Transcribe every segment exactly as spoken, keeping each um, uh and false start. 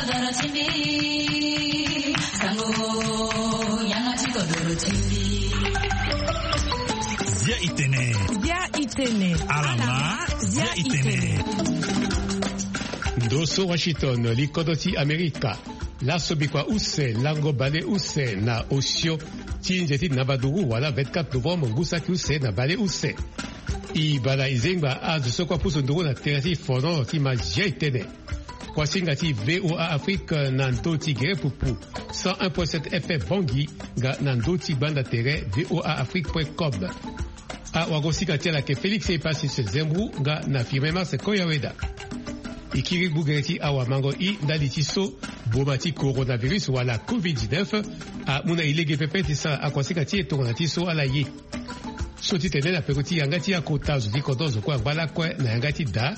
Bia itene. Bia itene. Alama. Bia itene. Ndo so Washington, li kodro ti Amerika. Laso bikua use lango bale use na osio ti nze ti namba nduru wala vingt-quatre novembre ngu saki use na bale use. E bala e zengba azo so kue apusu nduru na tere ti fono ti mazia e tene. Kuasinga ti V O A Afrique na ndö ti gere pupu cent un point sept F M Bangui nga na ndö ti gbanda tere V O A Afrique point com. Awagosinga ti ala ayeke Félix Epasis Zembou nga na Firmin Mars Koyaweda. E kiri gbu gere ti awamango i ndali ti so boma ti coronavirus wala covid dix-neuf amu na e lege pepe ti sara akuasinga ti e tongana ti so ala ye. So ti tene na peko ti yanga ti akota zo ti kodro zo kue angba lakue na yanga ti da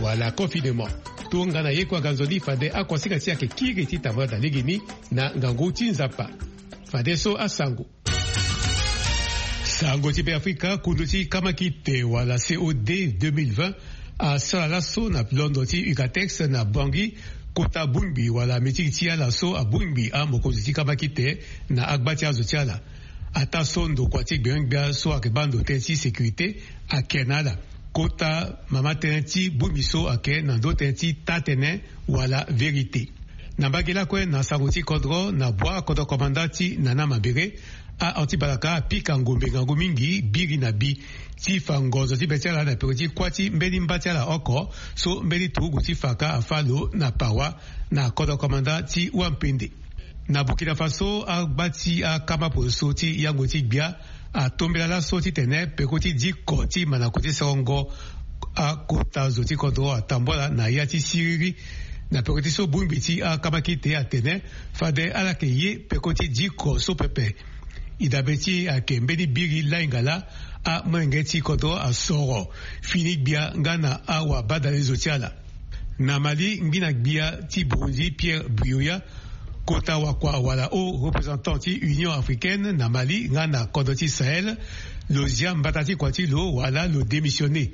wala confinement. Tongana ye kue aga nzoni fade akuasinga ti e ayeke kiri ti tambula na legeni na ngangu ti Nzapa. Fadeso asango. Sango ti Beafrika, kundu ti kamakite wala C O D deux mille vingt asara laso na londo ti Ucatex na Bangui kota bongbi wala mitiki ti ala so abongbi amokonzi ti kamakite na agba ti azo ti ala. Ataa so ndokua ti gbengbia so ayeke baa ndo tënë ti sécurité ayeke na ala. Kota mama tënë ti bongbi so ayeke na ndö tënë ti taa-tënë wala vérité. Na mbage lakue na sango ti kodro na bua kodro komanda ti Nana Mabere, a-anti-balaka apika ngombe ngangu mingi biri na bi ti fa ngonzo ti be ti ala na peko ti kuâ ti mbeni mba ti ala oko so mbeni turugu ti fa ka afâ lo na pawa na kodro komanda ti Wampende. Na Burkina Faso, agba ti akama poso ti yango ti gbia atombela laso titene peko ti diko ti manako ti serongo akota zo ti kodro atambula na ya ti siriri. Na peko ti so bongbi ti akamakite atene fade ala yeke ye peko ti diko so pepe. E dabe ti e ayeke mbeni biri lainga laa amolenge ti kodro asoro fini gbia nga na awabadalezo ti ala. Na Mali, ngbina gbia ti Burundi Pierre Buyoya, kota wakua wala haut représentant ti Union africaine na Mali nga na kodro ti Sahel, lo zia mbata ti kua ti lo wala lo démissionner.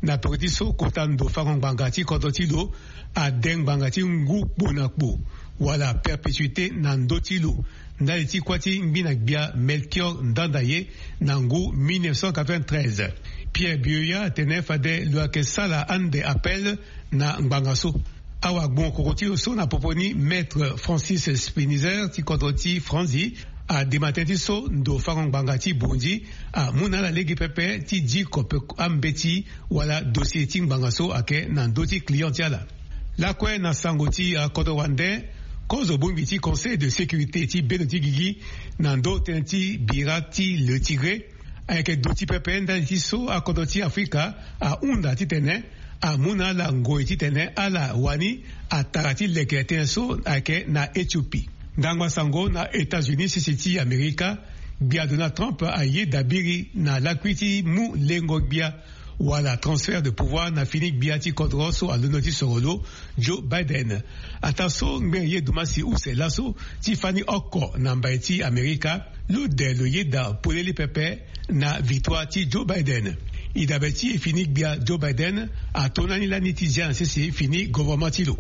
Na peko ti so kota ndo fango ngbanga ti kodro ti lo ade ngbanga ti ngu kpo na kpo wala perpétuité na ndö ti lo ndali ti kuâ ti ngbina gbia Melchior Ndandaye na ngu mille neuf cent quatre-vingt-treize. Pierre Buyoya atene fade lo yeke sala ande appel na ngbanga so. Awagbongo koko ti lo so na popo ni Maître Francis Spinizer ti kodro ti Franzi adema tënë ti so ndo fango ngbanga ti Burundi amu na ala lege pepe ti diko pe ambeti wala dossier ti ngbanga so ayeke na ndö ti client ti ala. Lakue na sango ti akodro wande, kozo bongbi ti Conseil de sécurité ti bendo ti gigi na ndö tënë ti bira ti Le Tigré ayeke duti pepe ndali ti so akodro ti Afrika ahunda titene amu na ala ngoi titene ala wani atara ti leke tënë so ayeke na Éthiopie. Ndangba sango na États-Unis sese ti Amerika, gbia Donald Trump aye dabiri na lakui ti mu lengo gbia wala transfert de pouvoir na fini gbia ti kodro so alondo ti soro lo, Joe Biden. Ataa so ngbene ye dumasi use laso ti fani oko na mbai ti Amerika, lo de lo yeda polele pepe na victoire ti Joe Biden. E dabe ti e fini gbia Joe Biden ato na ni lani ti zia na sese fini gouvernement ti lo.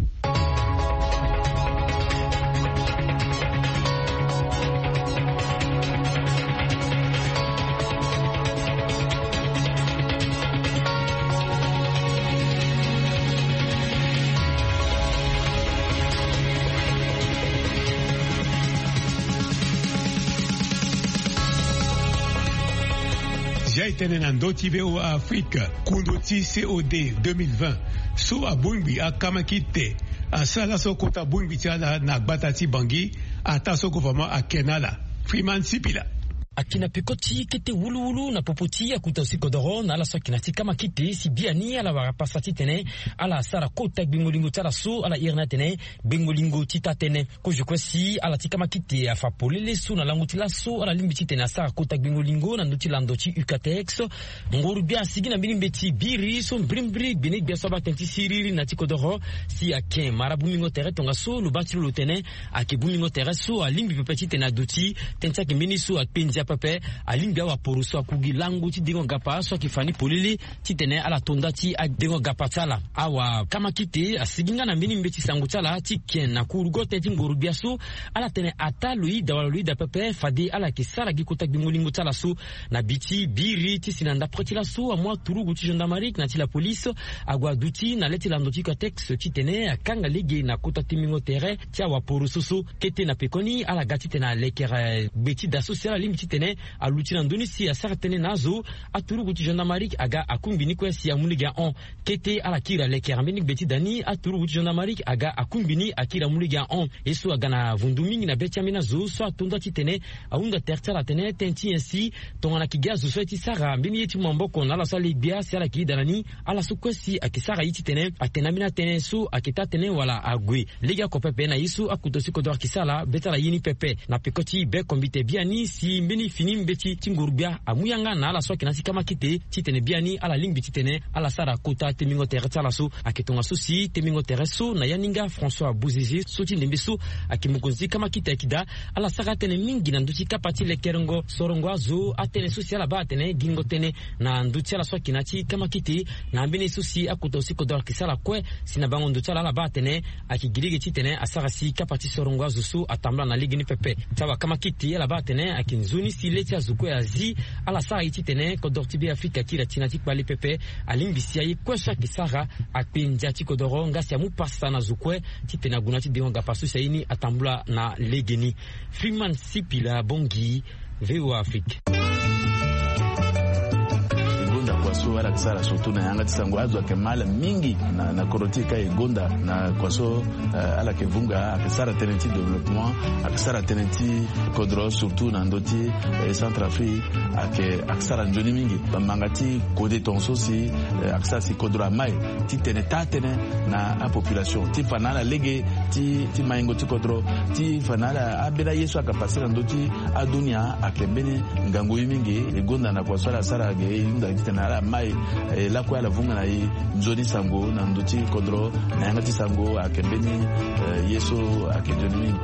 Zia e tene na ndö ti V O A Afrique, kundu ti C O D deux mille vingt so abongbi akamakite asara laso kota bongbi ti ala na gbata ti Bangui, ataa so gouvernement ake na ala. Freeman Sipila. Ayeke na peko ti kete wuluwulu na popo ti akuta zo ti kodoro na ala so ayeke na ya ti kamakite si biani ala wara pasa titene ala sara kota gbengo lingo ti ala so ala iri ni atene gbengo lingo ti taa-tënë. Kozo kue si ala ti kamakite afa polele so na lango ti laso ala lingbi titene asara kota gbengo lingo na ndö ti lando ti Ucatex. Nguru gbia asigi na mbeni mbeti biri so mbirimbiri gbene gbia so abaa tënë ti siriri na ya ti kodoro si ayeke mara bongbingo tere tongaso lo baa ti lo lo tene ayeke bongbingo tere so alingbi pepe titene aduti tënë ti ayeke mbeni so akpe ndia Apepe alingbi awaporo so aku gi lango ti dengo gapa so ayeke fa ni polele titene ala to nda ti adengo gapa ti ala. Awakamaki te asigi nga na mbeni mbeti sango ti ala ti ken na kurugote ti ngoro-gbia so. Ala tene ataa lo ida wala lo ida pepe fade ala yeke sara gi kota gbingo lingo ti ala so. Na bi ti biri ti si na ndapre ti laso amu aturugu ti gendarmerie na ti lapolise ague aduti na le ti lando ti Cotex titene akanga lege na kota timbingo tere ti awaporo so so. Kete na pekoni ala ga titene alekere gbe ti da so si ala lingbi titene aluti na ndö ni si asara tënë na azo. Aturugu ti gendarmerie aga akungbi ni kue si amu lege ahon. Kete ala kiri alekere mbeni gbe ti da ni, aturugu ti gendarmerie aga akungbi ni akiri amu lege ahon. Ye so aga na vundu mingi na be ti ambeni azo so ato nda titene ahunda tere ti ala atene tënë ti nyen si tongana ayeke gi azo so aye ti sara mbeni ye ti mu maboko na ala so ale gbia si ala yeke yeda na ni. Ala so kue si ayeke sara ye titene atene na mbeni atënë so ayeke taa tënë wala ague legeoko pepe na ye so akota si kodoro ayeke sara be ti ala ye ni pepe. Na peko ti be kombite biani si mbeni fini mbeti ti nguru-gbia amu yanga na ala so ayeke na ya ti kamakite titene biani ala lingbi titene ala sara kota tembingo tere ti ala so. Ayeke tongaso si tembingo tere so na yaninga François Bozizé so ti ndembe so ayeke mokonzi ti kamakite ayeke daa. Ala sara atënë mingi na ndö ti kapa ti lekerengo sorongo azo atënë so si ala baa atene gingo tënë na ndö ti ala so ayeke na ya ti kamakite. Na ambeni ye so si akota si kodoro ayeke sara kue si na bango ndo ti ala ala baa atene ayeke gi lege titene asara si kapa ti sorongo azo so atambula na legeni pepe. Ti awakamakite ala baa atene ayeke nzoni si le ti azo kue azi. Ala sara ye titene kodoro ti Beafrika akiri ati na ya ti kpale pepe. Alingbi si aye kue so ayeke sara akpe ndia ti kodoro nga si amu pasa na zo kue titene ague na ya ti dengo gapa so si aye ni atambula na legeni. Freeman Sipila Bongi, VOA Afrique. E gonda kua so ala yeke sara surtout na yanga ti sango azo ayeke mal mingi na, na kodro ti e ka e gonda na kua so, eh, ala yeke vunga ayeke sara tënë ti développement, ayeke sara tënë ti kodro surtout na ndö ti, eh, Centrafrique ayeke, ayeke sara nzoni mingi. Bamanga ti kode tongaso si, eh, ayeke sara si kodro amai titene taa tënë na apopulation ti fa na ala lege ti, ti maingo ti kodro ti fa na ala ambeni aye so ayeke pase na ndö ti adunia ayeke mbeni ngangu ye mingi. E gonda na kua so ala sara ge e hunda titene ala mai, eh, lakue ala vunga na e nzoni sango na ndö ti kodro na yanga ti sango ayeke mbeni, eh, ye so ayeke nzoni mingi.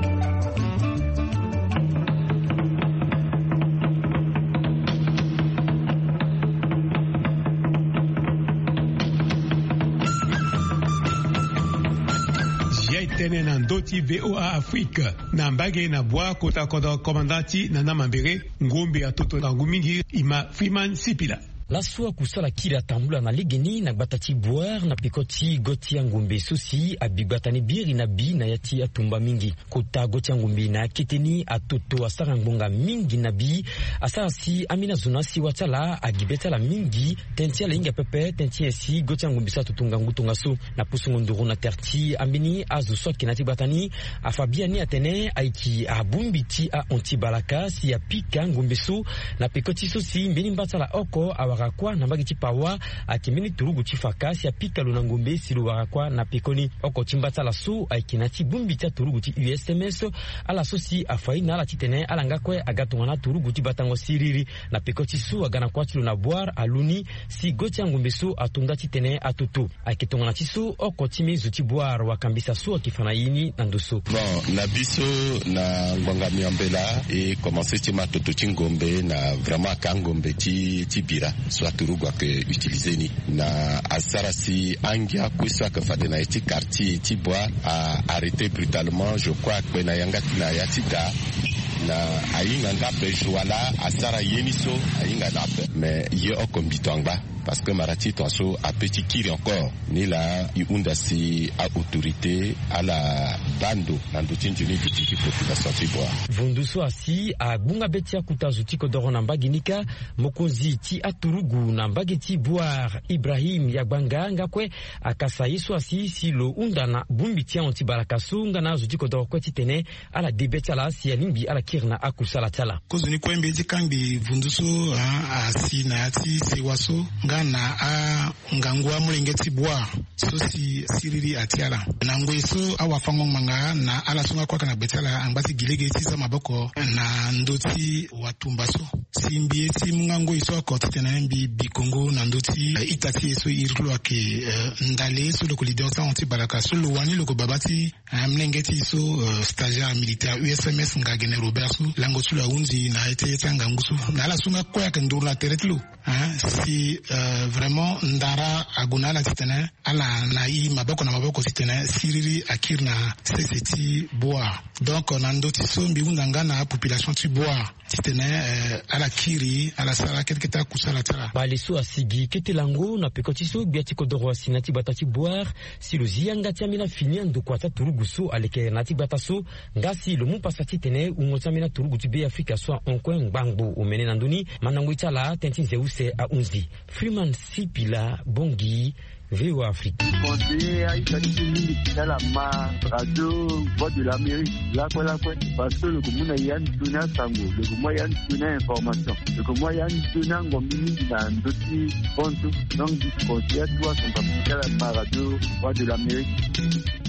Zia e tënë na ndö ti VOA Afrique na mbage na bua kota kodro komanda ti Nana Mambere, ngombe atoto ngangu mingi, e ma Freeman Sipila. Laso akusala kiri atambula na legeni na gbata ti Bouar na peko ti go ti angombe so si abi gbata ni biri na bi na ya ti atumba mingi. Kota go ti angombe na akete ni atoto asara ngbonga mingi na bi. Asara si ambeni azo na asiwa ti ala agi be ti ala mingi. Tënë ti ala hinga pepe, tënë ti nyen si go ti angombe so atoto ngangu tongaso. Na pusungo nduru na tere ti ambeni azo so ayeke na ya ti gbata ni, afa biani atene ayeke abongbi ti ahon ti balaka si apika ngombe so. Na peko ti so si mbeni mba ti ala oko awara kuâ na mbage ti Pawa, ayeke mbeni turugu ti faka si apika lo na ngombe si lo wara kuâ na pekoni. Oko ti mba ti ala so ayeke na ya ti bongbi ti aturugu ti U S M S, ala so si afa ye na ala titene ala nga kue aga tongana aturugu ti batango siriri. Na peko ti so aga na kuâ ti lo na Bouar alu ni si go ti angombe so ato nda titene atoto. Ayeke tongana ti so oko ti mbeni zo ti Bouar wakambisa so ayeke fa na ye ni na ndo so. Bon, na biso na ngbanga miambela e commence ti ma toto ti ngombe na vraiment aka ngombe ti, ti bira so aturugu ayeke utiliser ni. Na asara si angia kue so ayeke fade na ye ti quartier ti Bouar a arrêter brutalement, je crois, akpe na yanga ti na ya ti da. Na ahinga nga ape jour wala asara ye ni so ahinga na ape. Mais ye oko mbi tonga. Parce que mara ti tongaso ape ti kiri encore. Ni laa e hunda si a-autorité ala baa ndo na ndö ti nzoni duti ti population ti Bouar. Vundu so asi agbunga be ti akuta zo ti kodoro na mbage ni kâ, mokonzi ti aturugu na mbage ti Bouar, Ibrahim Yagbanga, nga kue akasa ye so asi si lo hunda na bongbi ti ahon ti balaka so nga na azo ti kodoro kue titene ala de be ti ala si alingbi ala kiri na akusala ti ala. Kozoni kue mbeni ti kangbi vundu so, ah, asi na ya ti sewa so nga na angangu amolenge ti Bouar so si siriri atia ala. Na ngoi so awafango ngbanga na ala so nga kue ayeke na gbe ti ala angba ti gi lege ti za maboko na ndö ti watumba so. Si mbi ye ti mu nga ngoi so oko titene mbi bi kongo na ndö ti, eh, ita ti e so e iri ti lo ayeke, eh, ndali so lo yeke leader ti ahon ti balaka so lo wani lo yeke baba ti, eh, molenge ti e so, eh, stagiaire militaire U S M S Ngagene Robert so lango ti lo ahunzi na ye ti, ye ti angangu so. Na ala so nga kue ayeke nduru na tere ti lo. Hein, si, euh, vraiment ndara ague na ala titene ala na e maboko na maboko titene siriri akiri na sese ti Bouar. Donc na ndö ti so mbi hunda nga na apopulation ti Bouar titene, euh, ala kiri, ala sara kete kete akusala ti ala. Bale so asigi kete lango na peko ti so gbia ti kodoro asi na ya ti gbata ti Bouar, si lo zi yanga ti ambeni afini andokua ti aturugu so aleke na ya ti gbata so, nga si lo mu pasa titene wungo ti ambeni aturugu ti Be Afrika so ahon kue ngbangbo omene na ndö ni. Mandango ye ti ala tënë ti nze use ahunzi. Freeman Sipila Bongi, V O A Afrique. Conseiller aita ti so mingi ti ala ma radio Voix de l'Amérique lakue lakue, parce que lo yeke mu na e ande sioni asango, lo yeke mu na e ande sioni information, lo yeke mu na e ande sioni angombi mingi na ndö ti bonso. Donc mbi conseiller atu asango ti ala ma radio Voix de l'Amérique.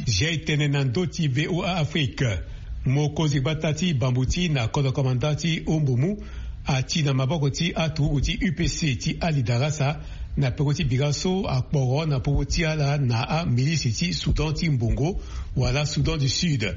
Jai tene na ndö ti V O A Afrique. Mokonzi gbata ti Bambuti na kodro komanda ti Ombomu ati na maboko ti aturugu ti U P C ti Ali Darasa na peko ti bira so akporo na popo ti ala na amilisi ti Soudan ti Mbongo wala Soudan du Sud.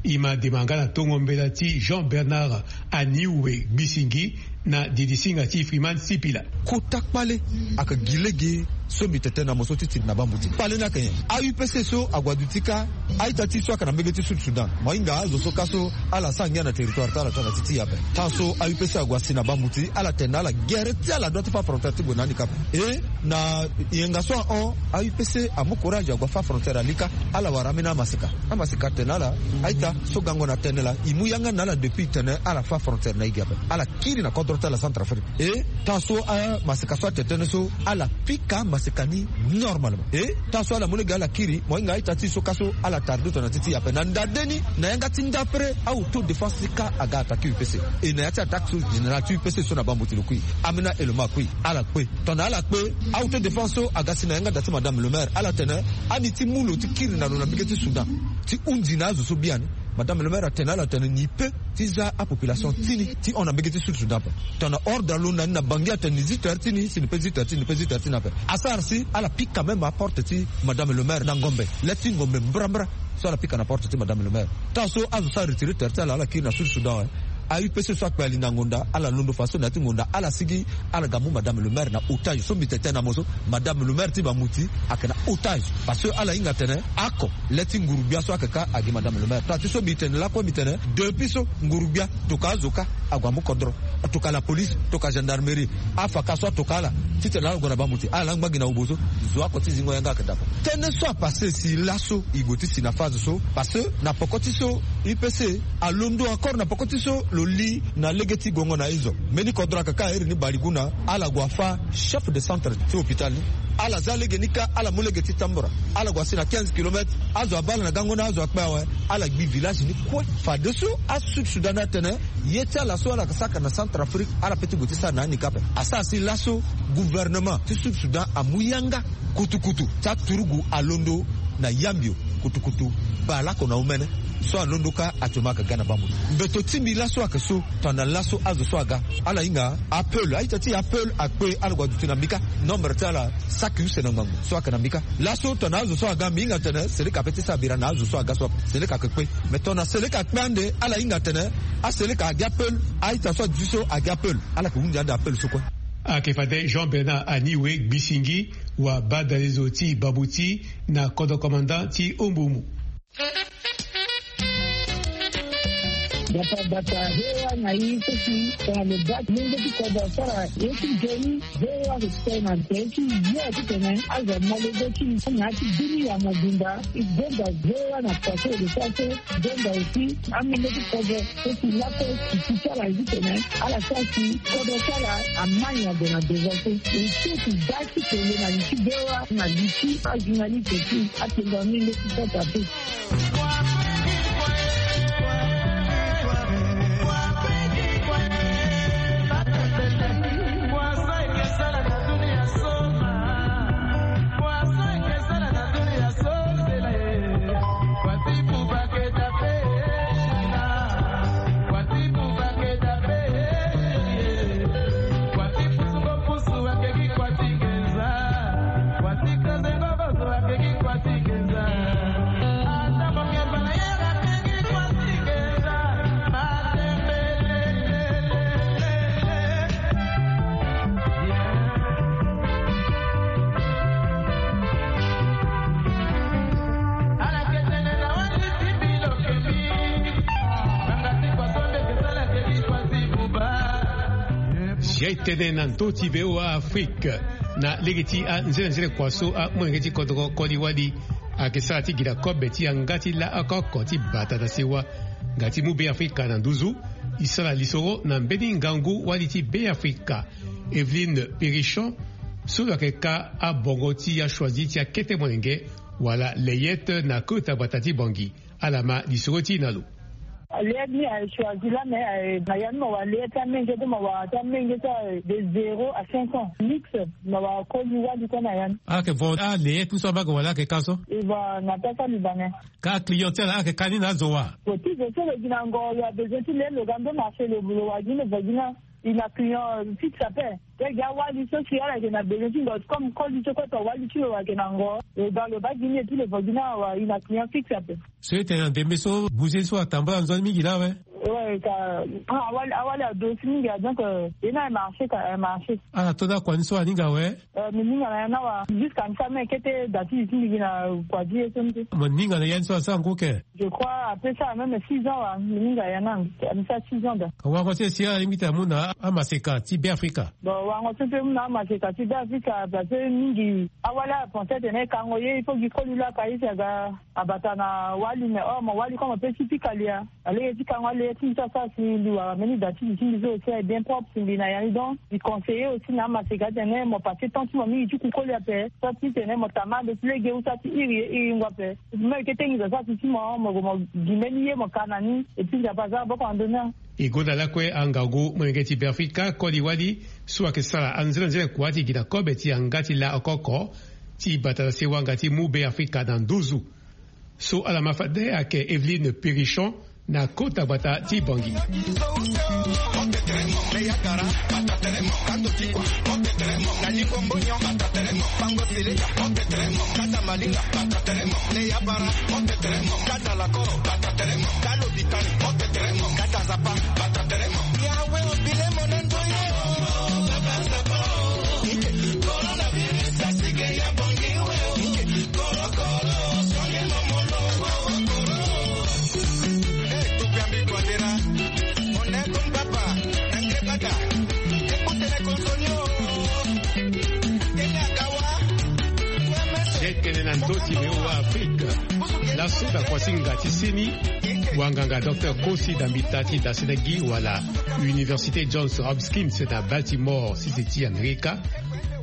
E ma dema nga na tongo mbela ti Jean Bernard Aniwe Gbisingi na didisinga ti Freeman Sipila. Kota kpale ayeke gi lege so mbi tene tënë na mo so ti tiri na Bambuti. Kpale ni ayeke nyen? A-U P C so ague aduti kâ a-ita ti e so ayeke na mbege ti Sud Soudan. Mo hinga azo so kâ so ala sara ngia na territoire ti ala tongana ti ti e ape. Tant so a-U P C ague asi na Bambuti, ala tene na ala gere ti ala doit ti fâ frontière ti gue na handicap. E na yenga so ahon, a-U P C amu courage ague afâ frontière ali kâ. Ala wara ambeni amaseka. Amaseka atene na ala, a-ita so gango na tene laa, e mu yanga na ala depuis tene ala fâ frontière na e gi ape. Ala kiri na kodro ti ala Centrafrique. E tant so amaseka so atene tënë so, ala pika maseka ni normalement. E tant so ala mu lege ala kiri, mo hinga a-ita ti e so kâ so ala tarde tongana ti ti e ape. Na ndade ni, na yanga ti ndapre, a-autodéfense ti kâ aga attaqué U P C. E na ya ti attaque so, général ti U P C so na Bambuti lo kui. Amena Eloma akui. Ala kpe. Tongana ala kpe, a-autodéfense so aga si na yanga da ti madame le maire. Ala tene, ani ti mu lo ti kiri na lo na mbege ti Soudan ti hunzi na azo so biani. Madame le maire atene na ala tene ni pe ti za apopulation ti ni ti hon na mbege ti Sud Soudan ape. Tongana ordre alo na ni na Bangui atene ni zi tere ti ni, si ni pe zi tere ti ni, ni pe zi tere ti ni ape. Asara si ala pika même aporte ti madame le maire na ngombe. Le ti ngombe mbrambra so ala pika na porte ti madame le maire. Tant so azo so aretire tere ti ala, ala kiri na Sud Soudan awe. A-U P C so akpe ali na ngonda, ala londo fadeso na ya ti ngonda, ala sigi, ala ga mu madame le maire na otage. So mbi tene tënë na mo so, madame le maire ti Bambuti ayeke na otage. Parce que ala hinga tene oko, le ti nguru-gbia so ayeke kâ agi madame le maire. Tant ti so mbi tene lakue mbi tene, depuis so nguru-gbia tokua azo kâ ague amu kodro, tokua la police, tokua gendarmerie, afaka so atokua ala titene ala gue na Bambuti, ala laa ngba gi na obo so. Zo oko ti zingo yanga ayeke dako. Tënë so apassé si laso e gue ti si na phase so, parce que na peko ti so U P C alondo encore na peko ti so lo li na lege ti gongo na ezo. Mbeni kodro ayeke kâ iri ni Baliguna, ala gue afâ chef de centre ti hôpital ni. Ala za lege ni kâ, ala mu lege ti Tambura. Ala gue asi na quinze kilomètres. Azo abaa ala na gango ni, azo akpe awe. Ala gbi village ni kue. Fadeso aSud Soudan atene ye ti ala so ala yeke saka na Centrafrique, ala pe ti gue ti sara na handicap. Asara si laso gouvernement ti Sud Soudan amu yanga. Kutukutu ti aturugu alondo na Yambio, kutukutu bale oko na omene so alondo kâ actuellement ayeke ga na Bambuti. Mbeto ti mbi laso ayeke so, tongana laso azo so aga, ala hinga aPeul, a-ita ti aPeul akpe, ala gue aduti na mbi kâ. Nombre ti ala saki use na ngbangbo so ayeke na mbi kâ. Laso tongana azo so aga, mbi hinga tene Seleka ape ti sara bira na azo so aga so ape. Seleka ayeke kpe. Mais tongana Seleka akpe ande, ala hinga tene aSeleka agi aPeul, a-ita so aduti so agi aPeul. Ala yeke hunzi ande aPeul so kue. Ayeke fade Jean Bernard Aniwe Gbisingi, wa badalezo ti Bambuti na kodro komanda ti Ombomu. Bata bata, V O A na i so si tongana lo baa ti mungo ti kodro asara ye ti nzoni, V O A ayeke sara na nze ti yo titene azo amolenge ti na ya ti bini ya mobimba. E gonda V O A na pase de sara so, gonda aussi amolenge ti kodro. So si lakue si ti ala ye titene ala sara si kodro ti ala ama nyango na devant so. E so si da ti tene na li ti V O A na li ti ajournaliste ti atenda ni leti kota te. E tene na ndö ti V O A Afrique, na lege ti anzenanzene kua so amolenge ti kodro koli wali ayeke sara ti gi na kobe ti yanga ti laa oko oko ti bata na sewa nga ti mu Be Afrika na nduzu. E sara lisoro na mbeni ngangu wali ti Be Afrika, Evelyne Périchon, so lo yeke ka abongo ti achoisi ti akete molenge wala Leyet na kota gbata ti Bangui. Ala ma lisoro ti e na lo. Leyet ni aye choisi laa me aye na ya ni ma wara leyet ti amenge to ma wara ti amenge so aye de zéro à cinq ans mix. Ma wara koli wali kue na ya ni. Ala yeke vo aleyet ni so abaa gue wala ala yeke ka so? E va na pasa libanais. Ka client ti ala ala yeke ka ni na azo wa? Bon ti zo so lo gi na ngo lo abezoin ti le lo ga ndo marché lo wara gi ni lo vo gi ni. E na client fixe ape. Te gi awali so si ala yeke na besoin ti ngo comme koli so kue to wali ti lo ayeke na ngo. Lo baa lo baa gi ni epui lo vo gi ni awa e na client fixe ape. So e tene na ndembe so bouger so atambula nzoni mingi laa awe. Ouais ka. Awali awali ado si mingi a donc. E na aye marché ka aye marché. Ala to da kua ni so aninga awe. Mi ninga na ya ni awa jusqu'à mi sara même kete da ti zi ti mbi gi na kua ti ye so ni te. Mo ninga na ya ni so asara ngu ke? Je crois ape sara même six ans wa mi ninga ya ni anga mi sara six ans da. Wango ti e si ala lingbi ti amu na amaseka ti Be Afrika? Bon wango ti e mpe mu na amaseka ti Be Afrika parce que mingi awali ala pense tene e kango ye il faut gi koli laa ka ye si aga abata na wali mais or mo wali comme ape ti pika lia. Alege ti kango alege ti mbi so asara si mbi wara mbeni da ti li ti mbi so aussi aye bien propre si mbi na ya ni donc mbi conseiller aussi na amaseka tene mo passe temps ti mo mingi ti ku koli ape. So ti tene mo tama ande ti lege ou sara ti iri ye iri ngu ape. Mo yeke tengi zo sara si ti mo mo gue mo gi mbeni ye mo ka na ni. Epui nzapa aza maboko na ndö ni. E gonda lakue angangu molenge ti Be Afrika koli wali so ayeke sara anzenanzene kua ti gi na kobe ti yanga ti laa oko oko ti bata na sewa nga ti mu Be Afrika na nduzu. So ala ma fade ayeke Evelyne Périchon na kota gbata ti Bangui. Tene na ndö ti V O A Afrique. Laso na kuasinga ti seni, wanganga docteur Kosi Dambita ti Dasenegi wala Université Johns Hopkins na Baltimore, sese ti Amerika,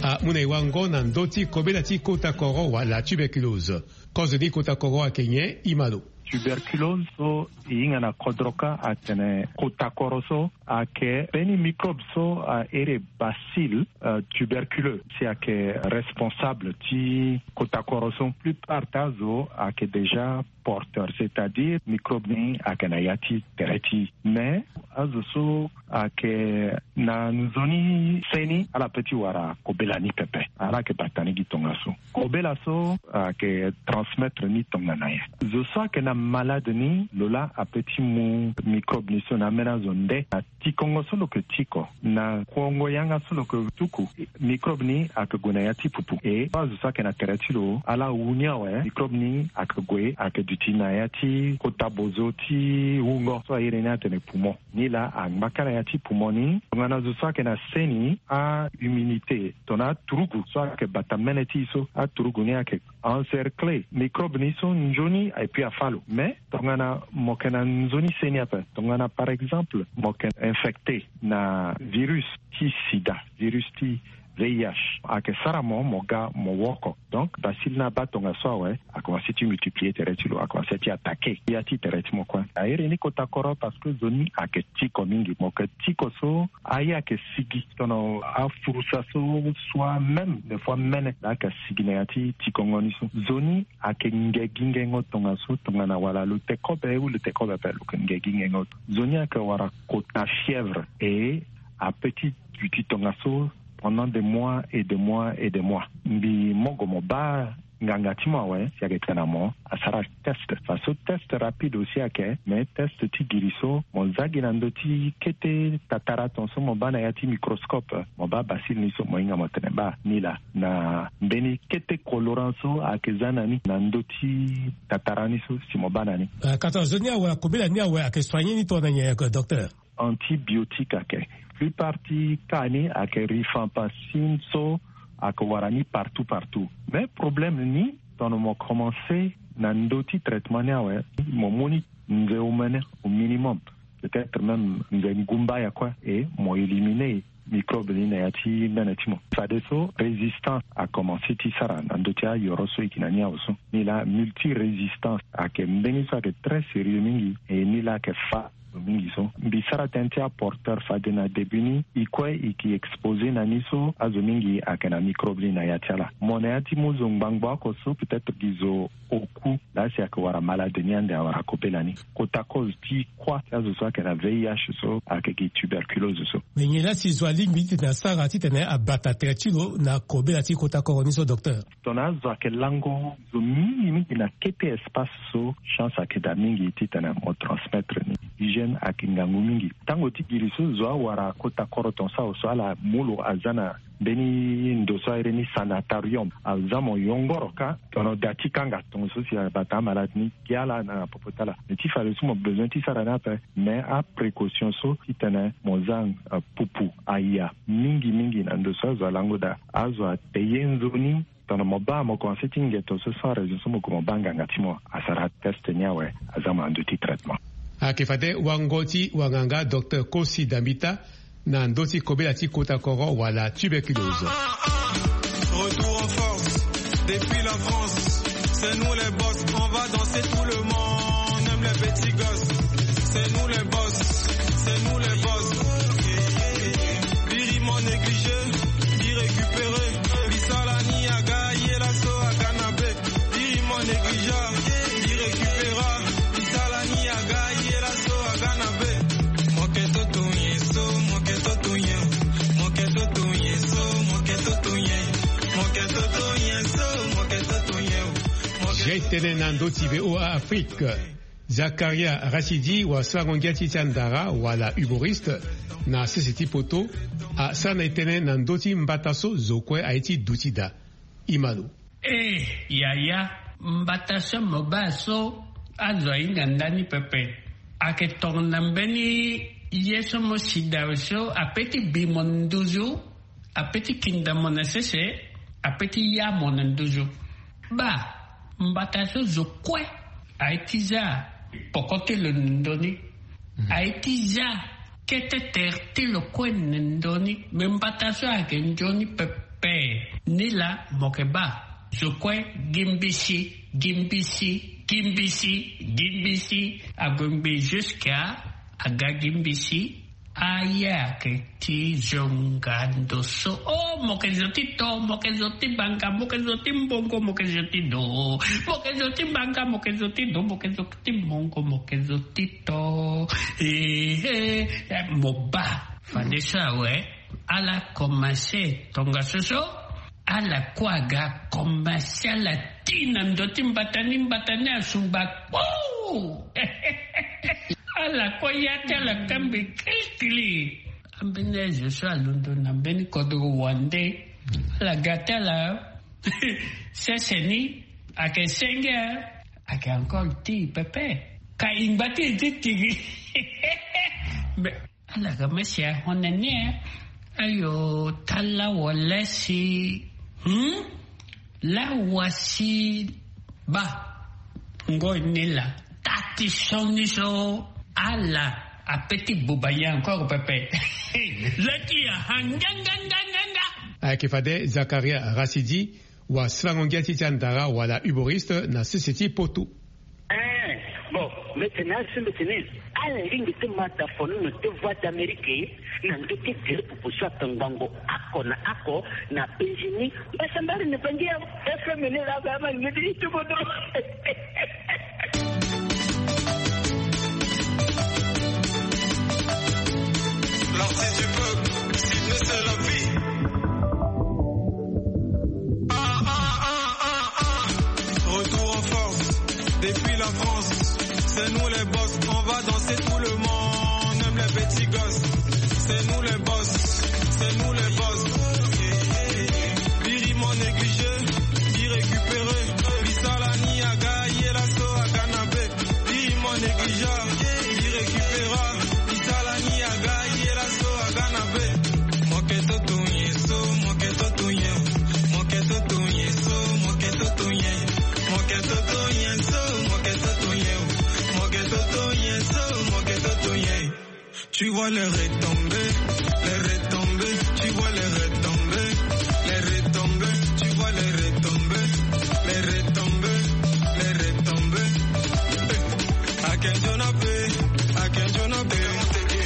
amu na e wango na ndö ti kobela ti kota koro wala tuberculose. Kozo ni kota koro ayeke nyen? E ma lo. Tuberculose so e hinga na kodro kâ atene kota koro so ayeke mbeni microbe so ahere bacille tuberculeux si ayeke responsable ti kota koro so. Plupart ti azo ayeke déjà porteur, c'est-à-dire microbe ni ayeke na ya ti tere ti e. Mais azo so ayeke na nzoni seni ala pe ti wara kobela ni pepe. Ala yeke bata ni gi tongaso. Kobela so ayeke transmettre ni tongana nyen? Zo so ayeke na malade ni lo laa ape ti mu microbe ni so na ambeni azo nde na tikongo so lo yeke tiko, na kuongo yanga so lo yeke tuku. Microbe ni ayeke gue na ya ti pupu. E azo so ayeke na tere ti lo ala wu ni awe, microbe ni ayeke gue ayeke duti na ya ti kota bozo ti wungo so airi ni atene poumon. Ni laa angba kâ na ya ti poumon ni. Tongana zo so ayeke na seni, ahumidité tongana aturugu so ayeke bata mene ti e so, aturugu ni ayeke encerclé microbe ni so nzoni epui afâ lo. Mais tongana mo yeke na nzoni seni ape, tongana par exemple mo yeke infecté na virus ti sida, virus ti V I H, ayeke sara mo mo ga mo woko. Donc bacille ni abaa tongaso awe, akomanse ti multiplier tere ti lo, akomanse ti attaqué ya ti tere ti mo kue. Airi ni kota koro parce que zo ni ayeke tiko mingi. Mo yeke tiko so aye ayeke sigi, tongana afurusa so soit même des fois mene laa ayeke sigi na ya ti tikongo ni so. Zo ni ayeke nge gi ngengo tongaso tongana wala lo te kobe ou lo te kobe ape lo yeke nge gi ngengo. Zo ni ayeke wara kota fièvre e ape ti duti tongaso pendant des mois et des mois et des mois. Mbi mo gue mo baa nganga ti mo awe si ayeke tene na mo asara test. Faso test rapide aussi ayeke, mais test ti giri so mo za gi na ndö ti kete tatara ton so mo baa na ya ti microscope, mo baa bacille ni so mo hinga mo tene baa ni laa na mbeni kete colorant so ayeke za na ni na ndö ti tatara ni so si mo baa na ni. Ka tongana zo ni awe akobela ni awe ayeke soigné ni tongana nyen, docteur? Antibiotique ayeke. Plupart ti kaa ni ayeke rifampicine so ayeke wara ni partout partout. Mais problème ni, tongana mo commencer na ndö ti traitement ni awe, mo mu ni nze omene au minimum, peut-être même nze ngumba ya kue, et mo éliminer microbe ni na ya ti mbene ti mo. Fadeso résistance a commencer ti sara na ndö ti ayoro so e yeke na ni awe so. Ni laa multirésistance ayeke mbeni so ayeke très sérieux mingi, et ni laa ayeke fa mingi so. Mbi sara tënë ti aporteur fade na début ni, e kue e yeke exposer na ni so azo mingi ayeke na microbe ni na ya ti ala. Mo na ya ti mu zo ngbangbo oko so, peut-être gi zo oku laa si ayeke wara malade ni ande awara kobela ni. Kota cause ti kuâ ti azo so ayeke na V I H so ayeke gi tuberculose so. Me nyen laa si zo alingbi titene asara titene abata tere ti lo na kobela ti kota koro ni so, docteur? Tongana azo ayeke lango zo mingi mingi na kete espace so, chance ayeke daa mingi titene mo transmettre ni. Hygiène ayeke ngangu mingi. Tango ti giri so zo awara kota koro tongaso awe so, ala mu lo aza na mbeni ndo so airi ni sanatorium, aza mo yongoro kâ tongana da ti kanga tongaso si abata amalade ni, gi ala na popo ti ala. Me ti fade so mo besoin ti sara ni ape, mais aprécaution so titene mo za, euh, pupu aya mingi mingi na ndo so azo alango daa. Azo ate ye nzoni, tongana mo baa mo commencer ti ngeto so sans raison so mo gue mo baa nganga ti mo asara test ni awe, aza mo na ndö ti traitement. Ayeke fade wango ti wanganga docteur Kosi Dambita na ndö ti kobela ti kota koro wala tuberculose. Retour en force depuis la France. C'est nous les boss, on va danser tout le monde, même les petits gosses. C'est nous les boss, c'est nous les boss. Biri mo négligé, biri récupéré. Bisala ni aga, ye la so aga na be. Biri mo négligé, biri récupéra. Bisala ni aga, ye la so aga na be. Mo ke toto ye so, mo ke toto ye. Mo ke toto ye so, mo ke toto ye. Mo ke toto ye so, mo ke toto ye. Mo ke toto ye. Tënë na ndö ti V O A Afrique. Zakaria Rachidi, wasarango ngia ti ti andara wala humoriste na sese ti poto, asara na e tënë na ndö ti mbata so zo kue aye ti duti daa. Imano. Eh, yaya, mbata so mo baa so azo ahinga ndani pepe. Ayeke tongana mbeni ye so mo si daa so, ape ti bi mo na nduzu, ape ti kinda mo na sese, ape ti ya mo na nduzu. Baa, mbata so zo kue aye ti za poko ti lo na ndö ni. Aye ti za kete tere ti lo kue na ndö ni. Me mbata so ayeke nzoni pepe. Ni laa mo yeke baa zo kue gi mbisi, gi mbisi, gi mbisi, gi mbisi. Ague ngbii jusqu'à aga gi mbisi. Aye ayeke ti zo nga ndo so. Oh, mo yeke zo ti to, mo yeke zo ti banga, mo yeke zo ti mbongo, mo yeke zo ti do. Mo yeke zo ti banga, mo yeke zo ti do, mo yeke zo ti mbongo, mo yeke zo ti to. Eh, eh, eh, mo baa. Fade so awe, ala commencer tongaso so. Ala kue aga commencer ala ti na ndo ti mbata ni, mbata ni asungba kpo. Ala kue ya ti ala kambe kilikili. Ambeni azo so alondo na mbeni kodro wande, ala ga ti ala sese ni, ayeke senge, ayeke encore ti pepe. Ka ingba ti e ti tigi. Mais ala ga mesi ahon na ni e. Ayo, tala wala si, hmm? La wasi ba. Ngoi ni la. Tâ ti sioni so ala ape ti buba ye encore pepe. La ti ya ha nga nga nga nga nga. Ayeke fade Zakaria Rachidi, wasarango ngia ti ti andara wala humoriste na sese ti poto. Eh, bon, mbeti na azo so mbeti ni, ala lingbi ti ma da fo ni na te Voix d'Amérique na ndö ti tere pupu so ayeke ngbangbo oko na oko na Benjini. Mbasambari ni bangi ya F M ni la ba ma ni ti tubo do. L'artiste du peuple, Sydney, c'est la vie. Ah, ah, ah, ah, ah. Retour en force, depuis la France. C'est nous les boss, on va danser tout le monde, même les petits gosses. C'est nous les boss, c'est nous les boss. Biri mo négligé, biri récupéré. Bisala ni aga, ye la so aga na be. Biri mo négligé, biri récupéra. Bisala ni aga. Tu vois les retombées, les retombées, tu vois les retombées, les retombées, tu vois les retombées, les retombées, les retombées. Akenjonape, akenjonape,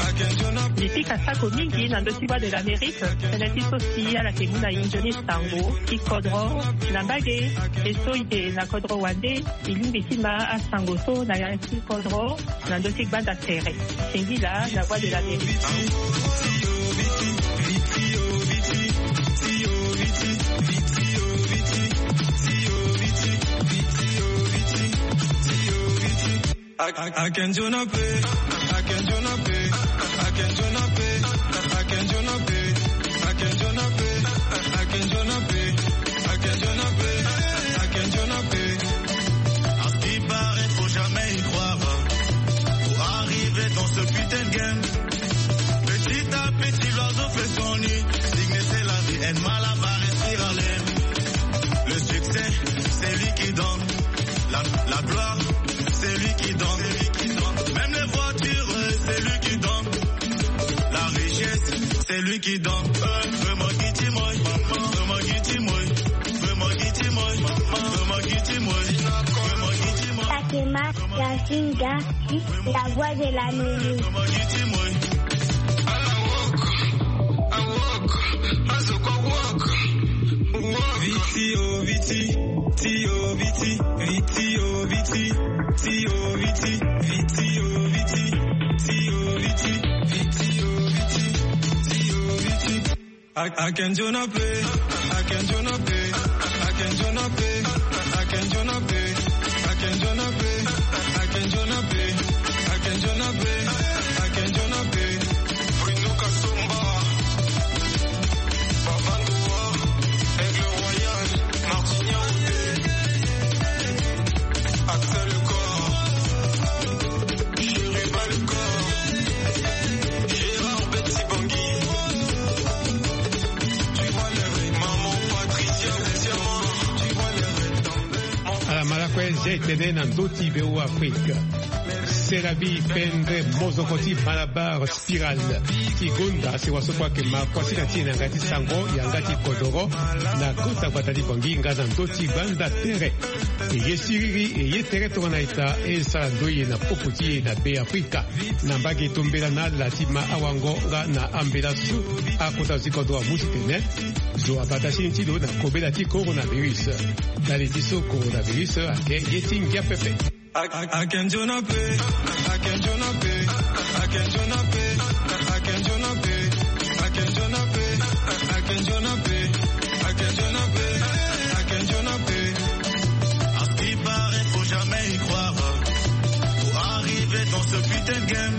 akenjonape. Mipika sako mingi na ndö ti Voix de l'Amérique, tënë ti so si ala yeke mu na e nzoni sango ti kodro na mbage. E so e yeke na kodro wande, e lingbi ti ma asango so na ya ti kodro na ndö ti gbanda tere. Singila na Voix de l'Amérique. Akenjonape, akenjonape, akenjonape, akenjonape, akenjonape, akenjonape, akenjonape, akenjonape. À ce qui paraît, faut jamais y croire. Pour arriver dans ce putain de game, petit à petit, l'oiseau fait son nid. Signe, c'est la vie, un mal à barrer, spirale. Le succès, c'est lui qui donne. La, la gloire, c'est lui qui donne. Même les voitures, c'est lui qui donne. La richesse, c'est lui qui donne. Vraiment, qui dit moi, vraiment, qui dit moi, vraiment, qui dit moi, vraiment, qui dit moi, vraiment, qui dit moi. Fatima Yasinga, la voix de la musique. Viti, oh, viti, ti, oh, viti, viti, oh, viti, ti, oh, viti, viti, oh, viti, ti, oh, viti, viti, oh, viti, ti, oh, viti. Akenjonape, akenjonape, akenjonape, akenjonape, akenjonape, akenjonape, akenjonape. Bruno Kasomba, Babandoua, Aigle Royal, Martignan, Axel Corps, Chérubin le corps, Gérard Betty Bangui. Tu vois les rêves, maman Patricia, tu vois les rêves. Ala ma lakue zia e tene na ndö ti Beoafrika. C'est la vie, pendre mozoko ti Malabar Spirale ti gonda si waso kue ayeke ma kuasinga ti e na yanga ti sango, yanga ti kodoro, na kota gbata ti Bangui nga na ndö ti gbanda tere. E ye siriri, e ye tere tongana ita, e sara ndoye na popo ti e na Beafrika. Na mbage tombela na ala ti ma awango nga na ambela so akota zo ti kodro amu ti tene. Zo abata sini ti lo na kobela ti coronavirus. Ndali ti so coronavirus ayeke ye ti ngia pepe. Akenjonape, akenjonape, akenjonape, akenjonape, akenjonape, akenjonape, akenjonape. À ce qui paraît, faut jamais y croire. Pour arriver dans ce putain de game,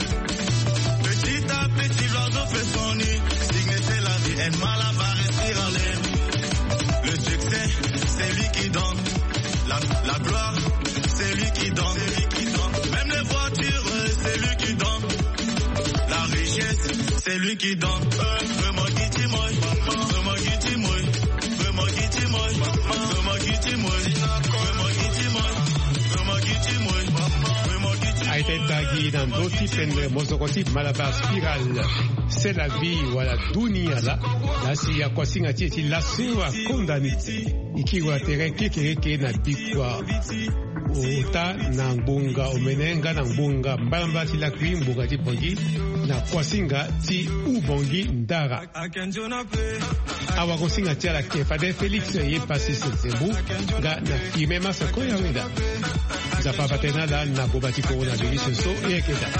petit à petit, l'oiseau fait son nid. Signe, c'est la vie, un mal à barrer, spirale. Le succès, c'est lui qui donne. La, la gloire, c'est lui qui donne. Même les voitures, c'est lui qui donne. La richesse, c'est lui qui donne. Vraiment, qui dit moi, vraiment, qui dit moi, vraiment, qui dit moi, vraiment, qui dit moi, vraiment, qui dit moi, vraiment, qui dit moi, vraiment, qui dit moi. Aita e tagi na ndö ti pendre mozoko ti Malabar Spirale. C'est la vie, wala dunia laa. Laa si akuasinga ti e ti laso akonda ni. E kiri wa tere kekereke na bikua ota na ngbonga omene nga na ngbonga mbalambala ti lakui ngbonga ti Bangui na kuasinga ti Oubangui Ndara. Awagosinga ti ala ke fade Félix ye pasi se nzembu nga na Firmin Massa Koyaweda. Nzapa abate na ala na boba ti coronavirus so e yeke daa.